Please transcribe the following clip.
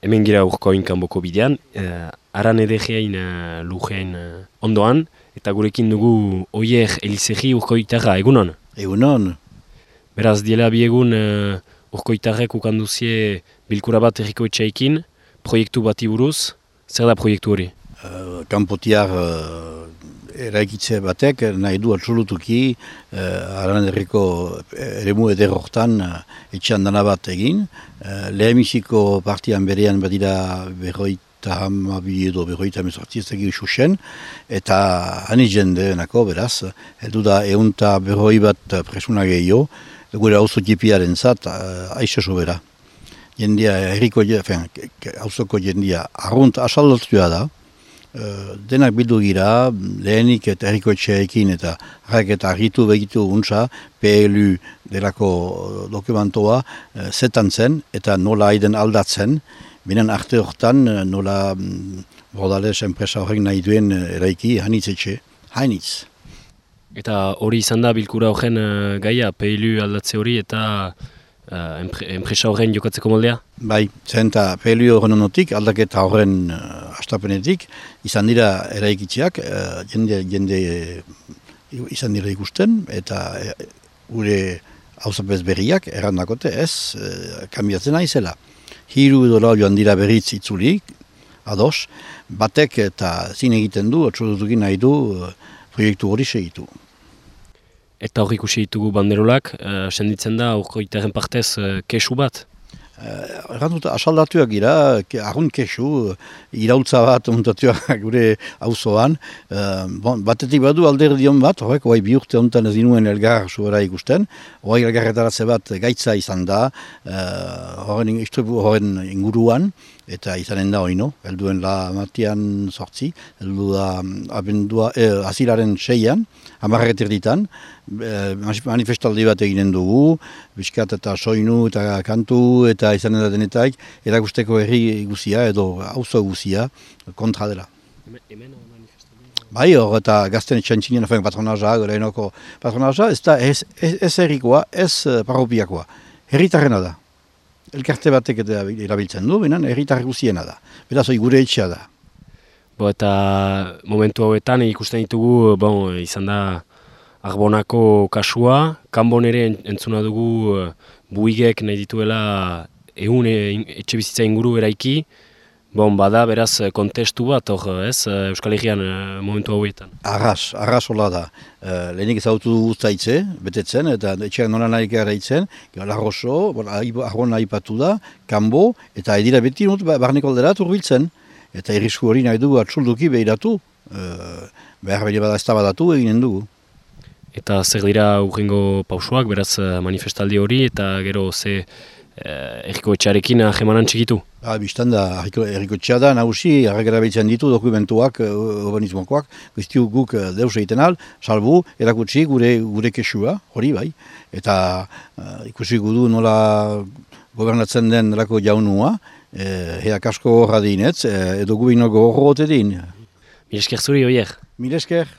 hemen gira urkoin kanboko bidean, aran edegeain lujeain ondoan, eta gurekin dugu Oier Elizegi urkoitarra, egunon? Egunon. Beraz, diela biegun urkoitarrek ukanduzie bilkura bat herriko etxaikin, proiektu bati buruz, zer da proiektu hori? Kanpotiar eraikitze batek nahi du absolutuki aran herriko eremu eder hortan etxean dana bat egin. Lehenbiziko partian berean badira berroita hamabi edo berroita hemezortzi ez dakit xuxen, eta hani jendeenako beraz, heldu da ehunta berroi bat presuna gehiago, gure auzo tipiaren zat, aixe sobera. Jendia, auzoko jendia, arrunt asaldatua da, denak bildu gira, lehenik eta herriko etxeekin eta argitu begitu untza, PLU delako dokumentoa zetan zen eta nola aiden aldatzen, binen arte hortan nola Bordales enpresa horrek nahi duen eraiki hainitz etxe, hainitz. Eta hori izan da bilkura horren gaia, PLU aldatze hori eta enpresa horren jokatzeko moldea? Bai, zen eta PLU horren onotik, aldaketa horren astapenetik, izan dira eraikitzeak, jende izan dira ikusten, eta gure hauzapez berriak errandakote ez, kanbiatzen naizela. Hiru edo lau joan dira berriz itzulik, ados, batek eta zin egiten du, atxodutukin nahi du proiektu hori segitu. Eta hor ikusi ditugu banderolak, senditzen da urkoitarren partez kesu bat? Erranduta, asaldatuak gira, arrunt kesu, iraultza bat ontatuak gure auzoan. Batetik badu alderdion bat, horrek, oai bi urte honetan ez dinuen elgar zuera ikusten, oai elgarretaratze bat gaitza izan da, horren inguruan, eta izanen da oino, helduen la matian sortzi, heldu da azilaren 6an, 10 erditan, manifestaldi bat eginen dugu, bizkat eta soinu eta kantu eta izanen da denetaik, erakusteko herri guzia edo auzo guzia kontra dela. Bai hor eta gazten etxantzinen patronaza, gorenoko patronaza, ez da ez herrikoa, ez parropiakoa, herritarrena da. Elkarte batek eta erabiltzen du, benen herritar guziena da. Beraz, gure etxea da. Eta momentu hauetan ikusten ditugu, izan da Arbonako kasua, kanbon ere entzuna dugu buigek nahi dituela etxe bizitza inguru eraiki, bada beraz kontestu bat Euskal Herrian momentu hauetan. Arras hola da. Lehenik ezagutu dugu zaitze, betetzen, eta etxeak nola nahi garaitzen, Larroso, Arbona aipatu da, kanbo, eta edira beti barneko alderat urbiltzen. Eta irrisku hori nahi dugu atxulduki behiratu, behar bada ez tabadatu eginen dugu. Eta zer dira urrengo pausoak, beraz manifestaldi hori, eta gero ze herriko etxearekin ahemanan txikitu? Bistan da, herriko etxea da, nagusi, harragera behitzen ditu dokumentuak, urbanismokoak, guztiu guk deus egiten al, salbu, erakutsi gure kesua, hori bai, eta ikusi gudu nola gobernatzen den lako jaunua, heak asko horra dinetz, edo gubinoko horro gote din. Mil esker zuri, Oier? Mil esker.